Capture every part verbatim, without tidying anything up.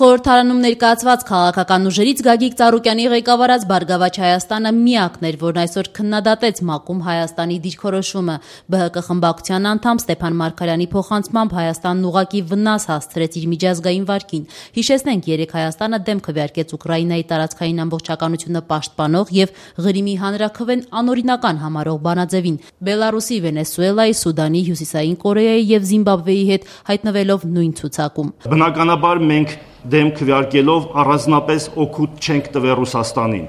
Խորհրդարանում ներկայացված քաղաքական ուժերից Գագիկ Ծառուկյանի ղեկավարած Բարգավաճ Հայաստանը միակն էր, որն այսօր քննադատեց ՄԱԿ-ում Հայաստանի դիրքորոշումը։ ԲՀԿ խմբակցության անդամ Ստեփան Մարգարյանի փոխանցմամբ Հայաստանն ուղղակի վնաս հասցրեց իր միջազգային վարկին։ Հիշեցնենք, երեկ Հայաստանը դեմ քվեարկեց Ուկրաինայի տարածքային ամբողջականությունը պաշտպանող եւ Ղրիմի հանրաքվեն անօրինական համարող բանաձևին։ Բելարուսի, Վենեսուելայի, Սուդանի, Հյուսիսային Կորեայի եւ Զիմբաբվեի հետ հայտնվելով նույն ցուցակում։ Բնականաբար մենք դեմ քվեարկելով առանձնապես օգուտ չենք տվել Ռուսաստանին,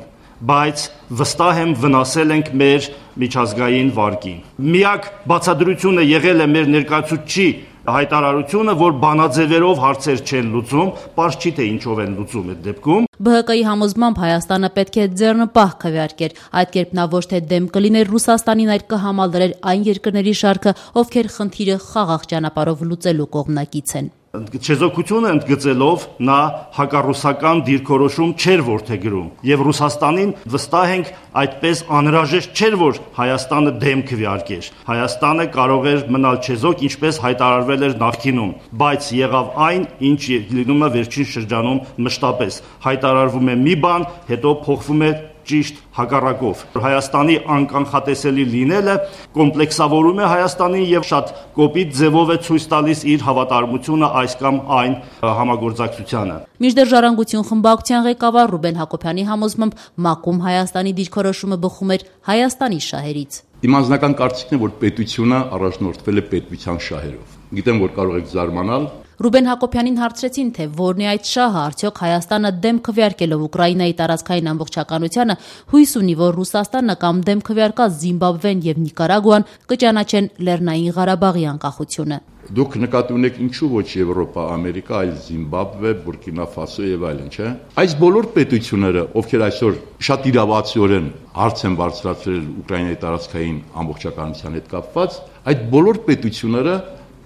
բայց վստահ եմ վնասել ենք մեր միջազգային վարկին։ Միակ բացատրությունը եղել է մեր ներկայացուցչի հայտարարությունը, որ բանաձևերով հարցեր չեն լուծում, պարզ չի թե ինչով են լուծում այդ դեպքում։ ԲՀԿ-ի համոզմամբ Հայաստանը պետք է ձեռնպահ քվեարկեր, այդ կերպ նա ոչ թե դեմ կլիներ Ռուսաստանին, այլ կհամալրեր այն երկրների շարքը, ովքեր խնդիրը խաղաղ ճանապարհով լուծելու կողմնակից են։ Չեզոքությունը ընդգծելով նա հակառուսական դիրքորոշում չէր որդեգրում եւ Ռուսաստանին վստահ ենք այդպես անհրաժեշտ չէր, որ Հայաստանը դեմ քվեարկեր։ Հայաստանը կարող էր մնալ չեզոք, ինչպես հայտարարվել էր նախկինում, բայց եղավ այն, ինչ լինում է վերջին շրջանում մշտապես։ Հայտարարվում է մի բան, հետո փոխվում է ճիշտ հակառակով։ Հայաստանի անկանխատեսելի լինելը կոմպլեքսավորում է Հայաստանին եւ շատ կոպիտ ձևով է ցույց տալիս իր հավատարմությունը այս կամ այն համագործակցությանը։ Մինչդեռ Ժառանգություն խմբակցության ղեկավար Ռուբեն Հակոբյանի համոզմամբ ՄԱԿ-ում Հայաստանի դիրքորոշումը բխում էր Հայաստանի շահերից։ Իմ անձնական կարծիքն է, որ պետությունը առաջնորդվել է պետության շահերով։ Գիտեմ, որ կարող եք զարմանալ։ Ռուբեն Հակոբյանին հարցրեցին, թե որն է այդ շահը, արդյոք Հայաստանը դեմ քվեարկելով Ուկրաինայի տարածքային ամբողջականությանը հույս ունի, որ Ռուսաստանը կամ դեմ քվեարկած Զիմբաբվեն եւ Նիկարագուան կճանաչեն Լեռնային Ղարաբաղի անկախությունը։ Դուք նկատի ունեք ինչու ոչ Եվրոպա, Ամերիկա, այլ Զիմբաբվե, Բուրկինա Ֆասո եւ այլն, չէ՞։ Այս բոլոր պետությունները, ովքեր այսօր շատ իրավացիորեն հարց են բարձրացրել Ուկրաինայի տարածքային ամբողջականության հետ կապված, այդ բոլոր պետությունները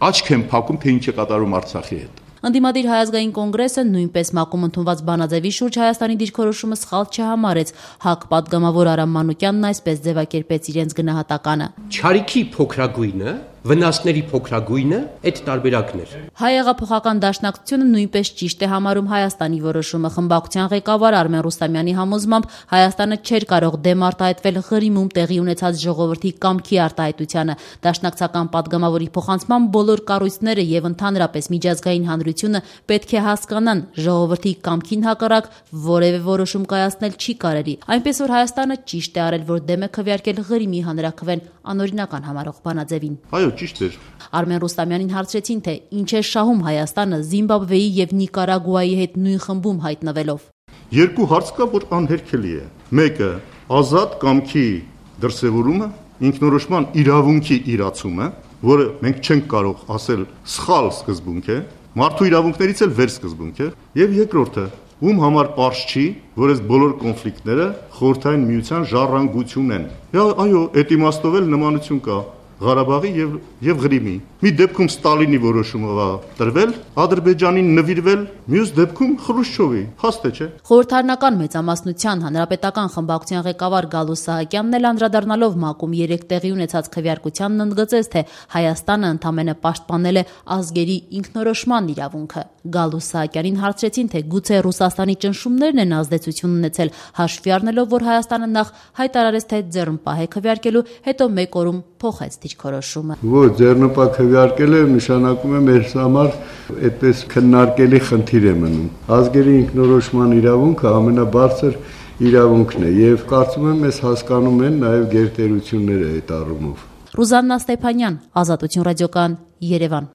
աչք են փակում, թե ինչ է կատարում Արցախի հետ։ Ընդդիմադիր Հայազգային կոնգրեսը նույնպես ՄԱԿ-ում ընդունված բանաձևի շուրջ Հայաստանի դիրքորոշումը սխալ չհամարեց։ ՀԱԿ պատգամավոր Արամ Մանուկյանն այսպես ձևակերպեց իրենց գնահատականը։ Չարիքի փոքրագույնը, վնասների փոքրագույնը այդ տարբերակն էր։ Հայ-հեղափոխական դաշնակցությունը նույնպես ճիշտ է համարում Հայաստանի որոշումը։ Խմբակցության ղեկավար Արմեն Ռուստամյանի համոզմամբ Հայաստանը չէր կարող դեմ արտահայտվել Ղրիմում տեղի ունեցած ժողովրդի կամքի արտահայտությանը։ Դաշնակցական պատգամավորի փոխանցմամբ բոլոր կառույցները եւ ընդհանրապես միջազգային հանրությունը պետք է հասկանան, ժողովրդի կամքին հակառակ որևէ որոշում կայացնել չի կարելի։ Այնպես որ Հայաստանը ճիշտ է արել, որ դեմ է քվեարկել Ղրիմի հանրաքվեն անօրինական համարող բանաձևին։ Այո, ճիշտ էր։ Արմեն Ռուստամյանին հարցրեցին, թե ինչ է շահում Հայաստանը Զիմբաբվեի եւ Նիկարագուայի հետ նույն խմբում հայտնվելով։ Երկու հարց կա, որ անհերքելի է։ Մեկը ազատ կամքի դրսևորումը, ինքնորոշման իրավունքի իրացումը, որը մենք չենք կարող ասել սխալ սկզբունք է, մարդու իրավունքներից էլ վեր սկզբունք է, եւ երկրորդը, ում համար պարզ չի, որ այս բոլոր կոնֆլիկտները խորհրդային միության ժառանգություն են։ Այո, այդ իմաստով էլ նմանություն կա Ղարաբաղի եւ եւ Ղրիմի։ Մի դեպքում Ստալինի որոշումը տրվել, Ադրբեջանին նվիրվել, մյուս դեպքում Խրուշչովի։ Հաստ է, չէ՞։ Խորհրդարանական մեծամասնության հանրապետական խմբակցության ղեկավար Գալուս Սահակյանն էլ անդրադառնալով ՄԱԿ-ում երեք տեղի ունեցած քվեարկությանն ընդգծեց, թե Հայաստանը ընդամենը պաշտպանել է ազգերի ինքնորոշման իրավունքը։ Գալուս Սահակյանին հարցրեցին, թե գուցե Ռուսաստանի ճնշումներն են ազդեցություն ունեցել, հաշվի առնելով, որ Հայաստանը նախ հայտարարեց, թե ձեռնպահ է քվեարկելու, հետո մեկ օրում փոխեց դիրքորոշումը։ Ոչ, ձեռնպահ քվեարկելը նշանակում է մեր համար այդպես քննարկելի խնդիր է մնում։ Ազգերի ինքնորոշման իրավունքը ամենաբարձր իրավունքն է եւ կարծում եմ ես հասկանում են նաեւ գերտերությունները այդ առումով։ Ռուզաննա Ստեփանյան, Ազատություն ռադիոկայան, Երևան։